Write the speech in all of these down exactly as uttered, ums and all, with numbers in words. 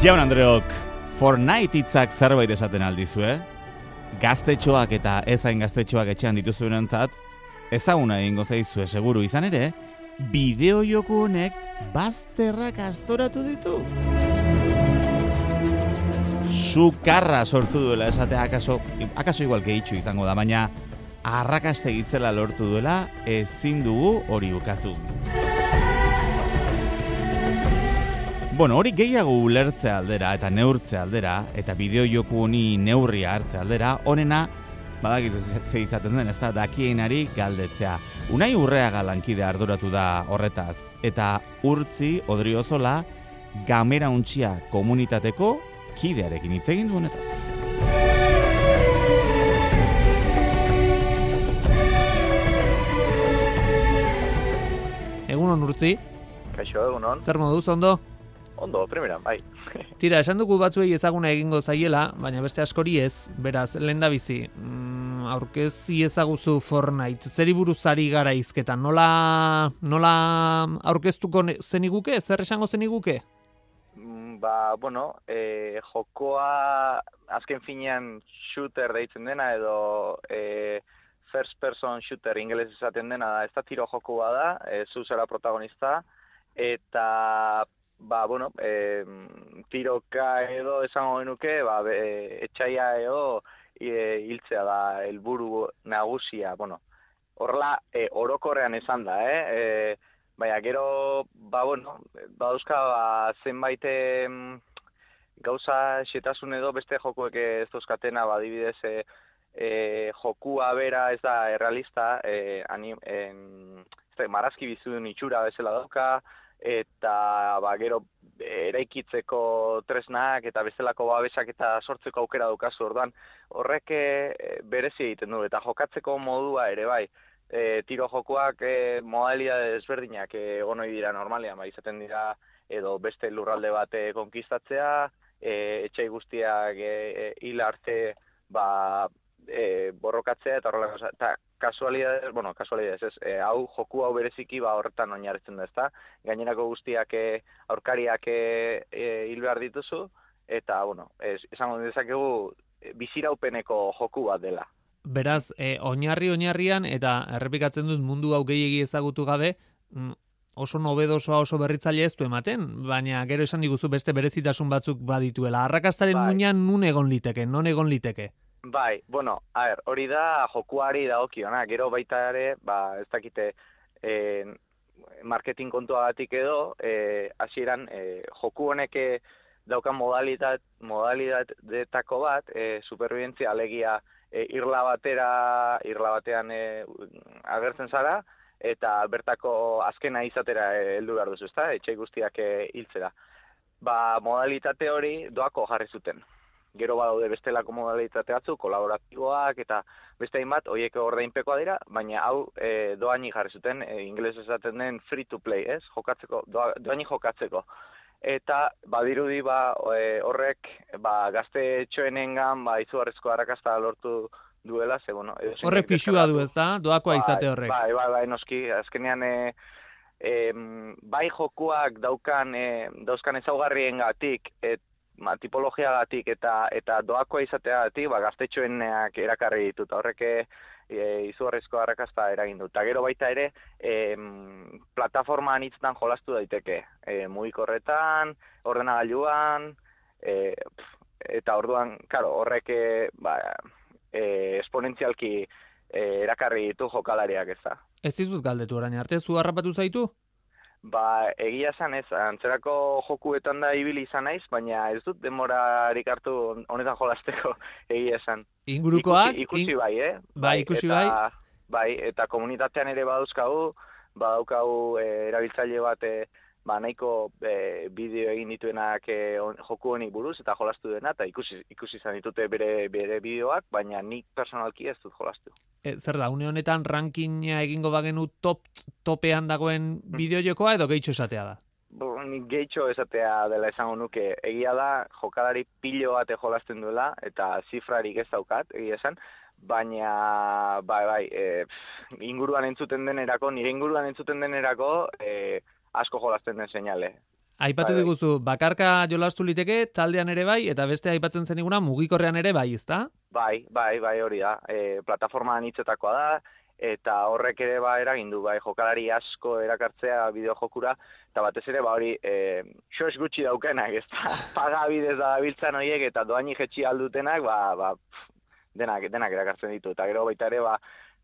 Jaun Andreok, Fortnite hitzak zerbait esaten aldizue? Gaztetxoak eta ezain gaztetxoak etxean dituzuenentzat, ezaguna egingo zaizue seguru izan ere, bideojoku honek bazterrak astoratu ditu. Sukarra sortu duela esatea akaso, akaso igual gehitxu izango da, baina arrakaste gitzela lortu duela ezin dugu hori ukatu. Bueno, hori gehiago ulertze aldera eta neurtze aldera, eta bideojoku honi neurria hartze aldera, honena, badakizu ze izaten den, ez da, dakienari galdetzea. Unai Urreaga lankide arduratu da horretaz, eta Urtzi Odriozola Gamera Untxia komunitateko kidearekin hitz egin du honetaz. Egunon, Urtzi. Kaixo, egunon. Zer moduz, ondo? Ondo, primera, bai. Tira, esan dugu batzuei ezaguna egingo zaiela, baina beste askori ez, beraz, lehendabizi, mm, aurkezi ezaguzu Fortnite, zeri buruz ari gara hizketan, nola, nola aurkeztuko zeniguke, zer esango zeniguke? Ba, bueno, e, jokoa azken finean shooter deitzen dena, edo e, first person shooter ingeles esaten dena, ez da tiro jokoa da, e, zu zera protagonista, eta ba, bueno, e, tiroka edo esango genuke, ba, e, etxaia edo e, hiltzea da helburu nagusia, bueno, horrela e, orokorrean esan da, eh? E, baina gero, ba, bueno, badauzka ba, zenbait e, gauza xetasun edo beste jokuek ez dauzkatena, ba, adibidez, e, e, jokua bera ez da errealista, e, anim, en, ez da, marazki bizudun itxura bezala dauka, eta ba, gero eraikitzeko tresnak eta bestelako babesak eta sortzeko aukera daukazu, orduan horrek e, berezi egiten du, eta jokatzeko modua ere bai. E, tiro jokoak e, modalidade desberdinak egon ohi dira normalean, ba, izaten dira edo beste lurralde bat e, konkistatzea, e, etxai guztiak e, e, hil arte ba, e, borrokatzea eta horrelako, eta kasualidades, bueno, kasualidades, ez, e, hau joku hau bereziki ba horretan oinarritzen da, ezta? Gainerako guztiak e, aurkariak e, e, hil behar dituzu, eta, bueno, ez, esango dezakegu biziraupeneko joku bat dela. Beraz, e, oinarri oinarrian, eta errepikatzen dut mundu hau gehiegi ezagutu gabe, oso nobedosoa, oso berritzaile ez du ematen, baina gero esan diguzu beste berezitasun batzuk badituela. Arrakastaren bai. Muinean nun egon liteke, non egon liteke? Bai, bueno, a ber, hori da jokuari dagokiona, gero baita ere, ba, ez dakite, e, marketing kontuagatik edo, e, hasieran e, joku honek daukan modalitat, modalitateko bat, e, superbibentzia alegia e, irla batera, irla batean e, agertzen zara, eta bertako azkena izatera heldu behar duzu, ezta? Etxai guztiak e, hiltzera. Ba, modalitate hori doako jarri zuten. Gero badaude bestelako modalitate batzu, kolaboratiboak eta beste hainbat, horiek ordainpekoa dira, baina hau e, doaini jarri zuten, e, ingeles esaten den free to play, ez? Jokatzeko, doa, doaini jokatzeko. Eta badirudi ba, e, horrek ba, gaztetxoenengan ba, izugarrizko arrakasta lortu duela, ze bueno... Horrek pixua du, ez da? Doakoa izate horrek. Bai, bai, bai, noski, azkenean... E, E, bai jokuak daukan e, dauzkan ezaugarriengatik et, ma, tipologiagatik eta eta doakoa izateagatik ba, gaztetxoenak erakarri ditut. Horrek e, izugarrizko arrakasta eragin dut. Eta gero baita ere e, plataforma anitzetan jolastu daiteke. E, mugikorretan, ordenagailuan, e, eta orduan, claro, horrek e, ba, e, esponentzialki e, erakarri ditu jokalariak ez da. Ez dizut galdetu orain arte, zu harrapatu zaitu? Ba, egia esan ez, antzerako jokuetan da ibili izan naiz, baina ez dut demorarik hartu honetan jolasteko egia esan. Ingurukoak? Ikusi, ikusi bai, eh? Bai, ikusi eta, bai. Bai, eta komunitatean ere badauzkagu, badaukagu e, erabiltzaile bat e, ba, nahiko e, bideo egin dituenak e, on, joku honi buruz eta jolastu dena, eta ikusi, ikusi izan ditute bere, bere bideoak, baina nik personalki ez dut jolastu. E, zer da, une honetan rankinga egingo bagenu top topean dagoen bideojokoa edo gehitxo esatea da? Bo, nik gehitxo esatea dela esango nuke. Egia da, jokalari pilo bate jolasten duela, eta zifrarik ez daukat, egia esan, baina, bai, bai, e, inguruan entzuten denerako, nire inguruan entzuten denerako, e, asko jolasten den seinale. Aipatu bai, diguzu, bakarka jolastu liteke, taldean ere bai, eta beste aipatzen zeniguna mugikorrean ere bai, ezta? bai, bai, bai, hori da. E, plataforma anitzetakoa da, eta horrek ere ba eragin du, bai, jokalari asko erakartzea bideojokura, eta batez ere ba hori, e, xos gutxi daukenak, ez da, paga bidez da biltzan horiek, eta doaini jetxi aldutenak, ba, ba, pff, denak, denak erakartzen ditu, eta gero baita ere, ba,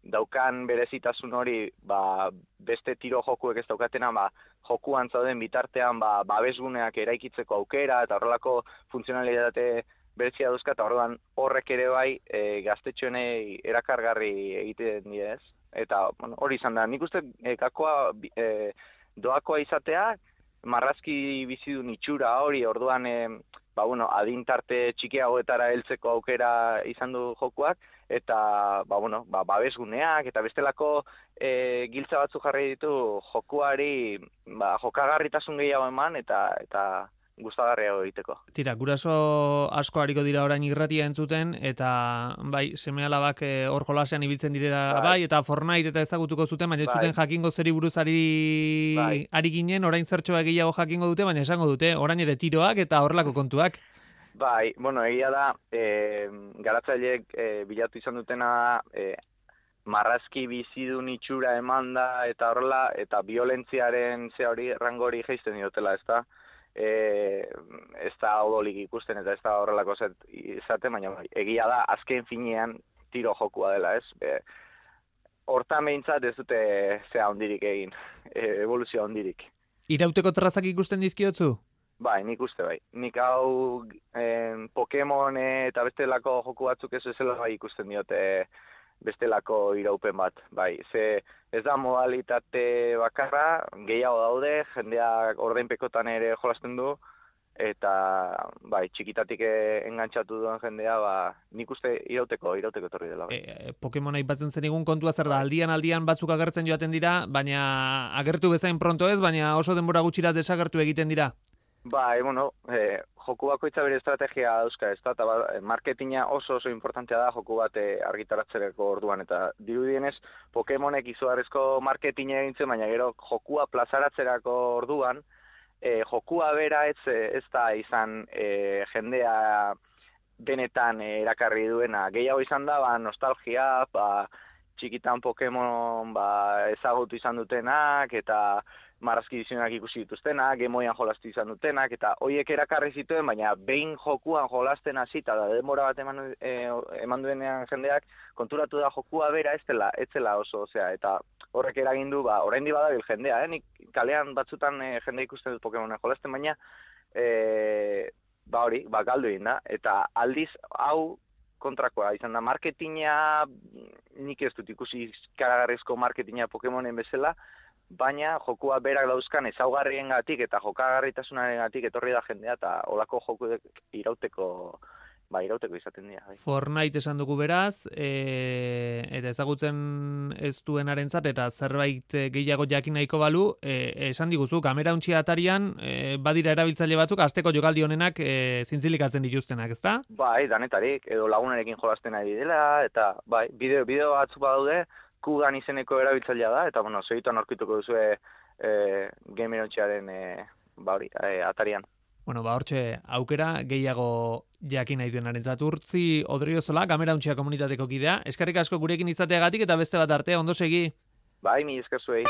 daukan berezitasun hori, ba, beste tiro jokuek ez daukatena, ba, jokuan zauden bitartean, ba, babesguneak eraikitzeko aukera, eta horrelako funtzionalitate berezia dauzka, eta orduan horrek ere bai e, gaztetxoenei erakargarri egiten die, ez? Eta bueno, hori izan da, nik uste e, gakoa e, doakoa izatea, marrazki bizidun itxura hori, orduan e, ba, bueno, adintarte txikiagoetara heltzeko aukera izan du jokuak, eta ba, bueno, ba, babesguneak, eta bestelako e, giltza batzu jarri ditu jokuari ba, jokagarritasun gehiago eman, eta eta gustagarriago egiteko. Tira, guraso asko hariko dira orain irratia entzuten, eta bai, seme-alabak hor jolasean ibiltzen direla bai. bai, eta Fortnite eta ezagutuko zuten, baina ez zuten bai. jakingo zeri buruz ari, bai. ari ginen, orain zertxoa gehiago jakingo dute, baina esango dute, orain ere tiroak eta horrelako kontuak. Bai, bueno, egia da, e, garatzaileek e, bilatu izan dutena e, marrazki bizidun itxura emanda eta horrela, eta violentziaren ze hori, rango hori geizten diotela, ez da? E, ez da odolik ikusten eta ez da horrelako izaten, baina egia da azken finean tiro jokua dela, ez? E, hortan behintzat ez dute zea hondirik egin, e, evoluzioa hondirik. Irauteko terrazak ikusten dizkiotzu? Bai, nik uste bai. Nik hau en, Pokemon eta bestelako joku batzuk ez ezela bai ikusten diote bestelako iraupen bat, bai. Ze ez da modalitate bakarra, gehiago daude, jendeak ordainpekotan ere jolasten du, eta bai, txikitatik engantzatu duen jendea, ba, nik uste irauteko, irauteko etorri dela. Bai. E, Pokemon aipatzen zenigun kontua zer da, aldian aldian batzuk agertzen joaten dira, baina agertu bezain pronto ez, baina oso denbora gutxira desagertu egiten dira. Bai, bueno, eh, joku bakoitza bere estrategia dauzka, ez da, eta ba, marketinga oso oso importantea da joku bat eh, argitaratzereko orduan, eta dirudienez Pokemonek izugarrizko marketinga egintzen, baina gero jokua plazaratzerako orduan, eh, jokua bera ez, ez da izan eh, jendea benetan eh, erakarri duena, gehiago izan da, ba, nostalgia, ba, txikitan Pokemon ba, ezagutu izan dutenak, eta marrazki dizionak ikusi dituztenak, gemoian jolastu izan dutenak, eta hoiek erakarri zituen, baina behin jokuan jolasten hasita da denbora bat eman, e, eman duenean jendeak, konturatu da jokua bera ez dela, ez dela oso, osea, eta horrek eragindu, ba, oraindik badabil jendea, eh? Nik kalean batzutan e, jende ikusten dut Pokemonen jolasten, baina e, ba hori, ba galdu egin da, eta aldiz hau kontrakoa izan da, marketinga, nik ez dut ikusi karagarrizko marketinga Pokemonen bezala, baina jokua berak dauzkan ezaugarriengatik eta jokagarritasunarengatik etorri da jendea eta olako jokuek irauteko ba irauteko izaten dira. Bai. Fortnite esan dugu beraz, e, eta ezagutzen ez duenarentzat eta zerbait gehiago jakin nahiko balu, e, esan diguzu kamera untxia atarian e, badira erabiltzaile batzuk asteko jokaldi honenak e, zintzilikatzen dituztenak, ezta? Bai, danetarik edo lagunarekin jolasten ari dela eta bai, bideo bideo batzuk badaude Kugan izeneko erabiltzailea da, eta, bueno, segituan aurkituko duzue e, Gamerontxearen e, ba hori, e, atarian. Bueno, ba, hortxe, aukera gehiago jakin nahi duenarentzat. Urtzi Odriozola, Gamerontxea komunitateko kidea. Eskerrik asko gurekin izateagatik eta beste bat arte, ondo segi. Bai, mi esker zuei.